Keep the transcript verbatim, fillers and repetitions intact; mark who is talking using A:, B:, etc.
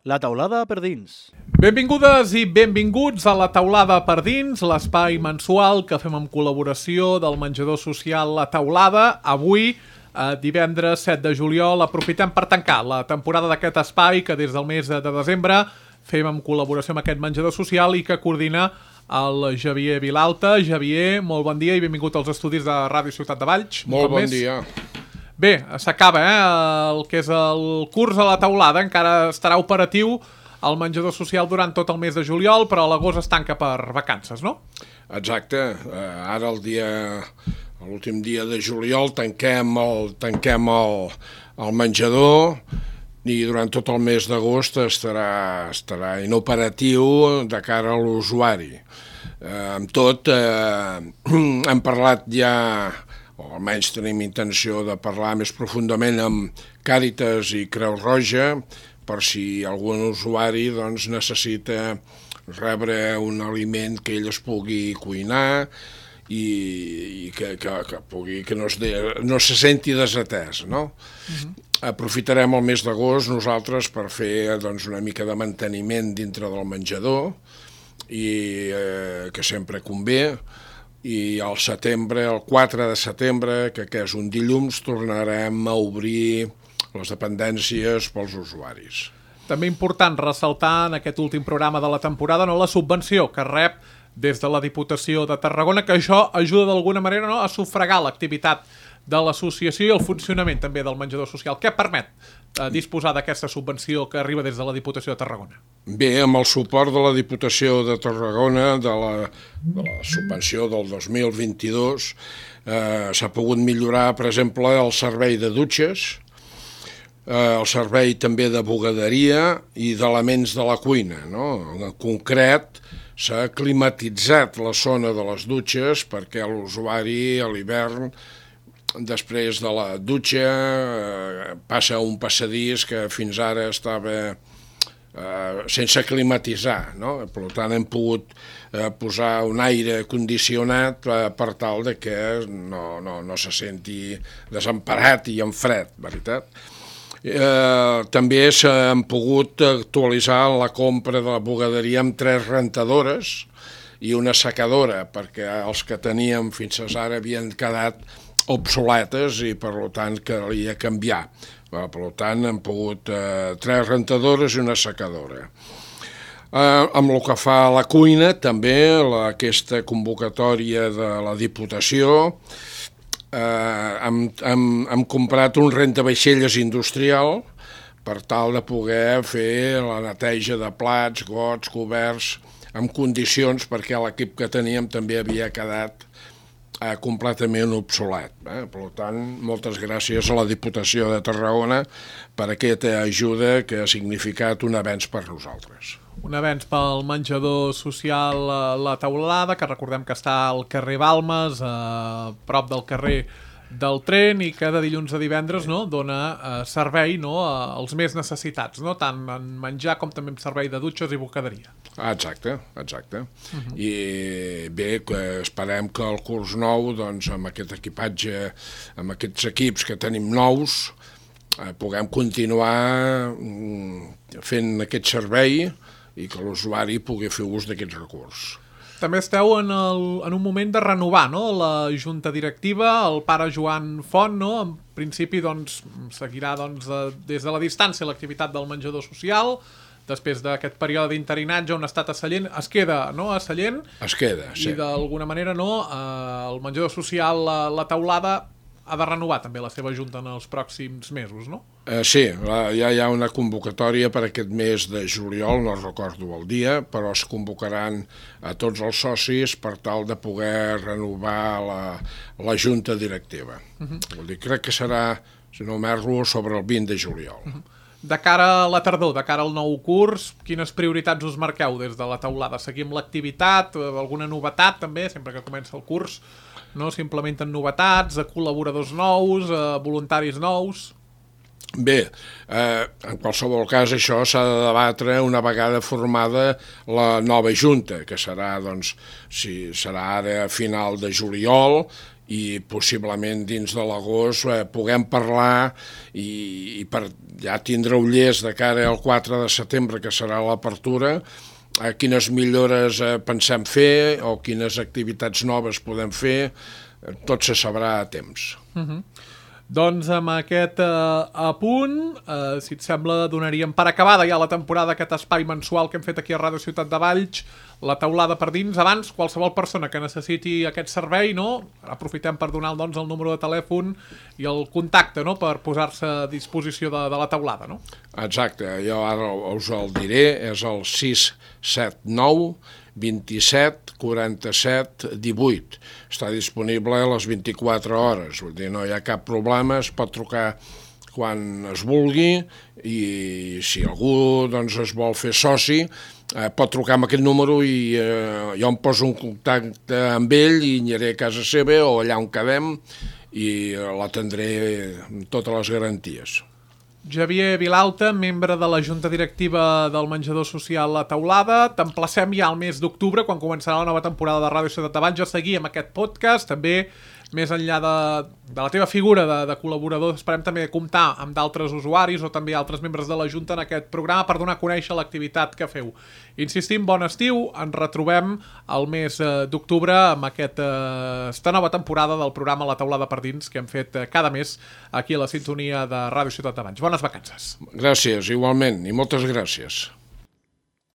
A: La taulada per dins.
B: Benvingudes i benvinguts a La taulada per dins, l'espai mensual que fem en col·laboració del menjador social La Taulada. Avui, eh, divendres set de juliol, aprofitem per tancar la temporada d'aquest espai que des del mes de desembre fem en col·laboració amb aquest menjador social i que coordina el Javier Vilalta. Javier, molt bon dia i benvingut als estudis de Ràdio Ciutat de Valls.
C: Molt bon dia.
B: Bé, s'acaba eh, el que és el curs a La Taulada, encara estarà operatiu el menjador social durant tot el mes de juliol, però a l'agost es tanca per vacances, no?
C: Exacte, uh, ara el dia, l'últim dia de juliol tanquem el, tanquem el, el menjador i durant tot el mes d'agost estarà, estarà inoperatiu de cara a l'usuari. Uh, amb tot, uh, hem parlat ja, o almenys tenim intenció de parlar més profundament amb Càritas i Creu Roja, per si algun usuari doncs, necessita rebre un aliment que ell es pugui cuinar i, i que, que, que, pugui, que no, es de, no se senti desatès. No? Uh-huh. Aprofitarem el mes d'agost nosaltres per fer doncs, una mica de manteniment dintre del menjador, i eh, que sempre convé, i al setembre, el quatre de setembre, que, que és un dilluns, tornarem a obrir les dependències pels usuaris.
B: També important ressaltar en aquest últim programa de la temporada no, la subvenció que rep des de la Diputació de Tarragona, que això ajuda d'alguna manera no, a sufragar l'activitat de l'associació i el funcionament també del menjador social. Què permet eh, disposar d'aquesta subvenció que arriba des de la Diputació de Tarragona?
C: Bé, amb el suport de la Diputació de Tarragona, de la, de la subvenció del dos mil vint-i-dos, eh, s'ha pogut millorar, per exemple, el servei de dutxes, eh, el servei també de bugaderia i d'elements de la cuina. No? En concret, s'ha climatitzat la zona de les dutxes perquè l'usuari a l'hivern, després de la dutxa, eh, passa un passadís que fins ara estava eh, sense climatitzar, no? Per tant, hem pogut eh, posar un aire condicionat eh, per tal de que no, no, no se senti desemparat i en fred, veritat? Eh, també s'han pogut actualitzar la compra de la bugaderia amb tres rentadores i una secadora, perquè els que teníem fins ara havien quedat obsoletes i per tant calia canviar. Per tant hem pogut eh, tres rentadores i una secadora. Eh, amb el que fa a la cuina també la, aquesta convocatòria de la Diputació eh, hem, hem, hem comprat un rentavaixelles industrial per tal de poder fer la neteja de plats, gots, coberts en condicions perquè l'equip que teníem també havia quedat Eh, completament obsolet. Eh? Per tant, moltes gràcies a la Diputació de Tarragona per aquesta ajuda que ha significat un avenç per nosaltres.
B: Un avenç pel menjador social La Taulada, que recordem que està al carrer Balmes, a prop del carrer del tren, i que de dilluns a divendres no, dona eh, servei no, als més necessitats, no? Tant en menjar com també en servei de dutxes i bugaderia.
C: Ah, exacte, exacte. Uh-huh. I bé, que esperem que el curs nou, doncs, amb aquest equipatge, amb aquests equips que tenim nous, eh, puguem continuar mm, fent aquest servei i que l'usuari pugui fer ús d'aquests recursos.
B: També esteu en, el, en un moment de renovar no? La junta directiva, el pare Joan Font, no? En principi doncs, seguirà doncs, des de la distància l'activitat del menjador social, després d'aquest període d'interinatge on ha estat a Sallent, es queda no? a Sallent.
C: Es queda, sí.
B: I d'alguna manera no? eh, el menjador social La, la Taulada ha de renovar també la seva junta en els pròxims mesos, no?
C: Eh, sí, la, ja hi ha una convocatòria per aquest mes de juliol, no recordo el dia, però es convocaran a tots els socis per tal de poder renovar la, la junta directiva. Uh-huh. Vol dir, crec que serà, si no m'erro, sobre el vint de juliol. Uh-huh.
B: De cara a la tardor, de cara al nou curs, quines prioritats us marqueu des de La Taulada? Seguim l'activitat, alguna novetat també, sempre que comença el curs? No? S'implementen novetats, col·laboradors nous, voluntaris nous?
C: Bé, eh, en qualsevol cas això s'ha de debatre una vegada formada la nova junta, que serà, doncs, si serà ara a final de juliol i possiblement dins de l'agost eh, puguem parlar i, i per ja tindre ullers de cara al quatre de setembre, que serà l'apertura, eh, quines millores eh, pensem fer o quines activitats noves podem fer, eh, tot se sabrà a temps.
B: Uh-huh. Doncs amb aquest eh, apunt, eh, si et sembla, donaríem per acabada ja la temporada, aquest espai mensual que hem fet aquí a Ràdio Ciutat de Valls, la taulada per dins. Abans, qualsevol persona que necessiti aquest servei, no? Aprofitem per donar doncs, el número de telèfon i el contacte, no? Per posar-se a disposició de, de la taulada, no?
C: Exacte, jo ara us el diré, és el sis set nou vint-i-set quaranta-set divuit. Està disponible a les vint-i-quatre hores, vull dir, no hi ha cap problema, es pot trucar quan es vulgui i si algú doncs, es vol fer soci, eh, pot trucar amb aquest número i eh, jo em poso en contacte amb ell i aniré a casa seva o allà on quedem i l'atendré amb totes les garanties.
B: Javier Vilalta, membre de la Junta Directiva del Menjador Social La Taulada. T'emplacem ja al mes d'octubre, quan començarà la nova temporada de Ràdio Ciutat de Valls, a seguir amb aquest podcast. També, més enllà de, de la teva figura de, de col·laborador, esperem també comptar amb d'altres usuaris o també altres membres de la Junta en aquest programa per donar a conèixer l'activitat que feu. Insistim, bon estiu, ens retrobem al mes d'octubre amb aquesta eh, nova temporada del programa La Taulada per dins que hem fet eh, cada mes aquí a la sintonia de Ràdio Ciutat de Valls. Bones vacances.
C: Gràcies, igualment, i moltes gràcies.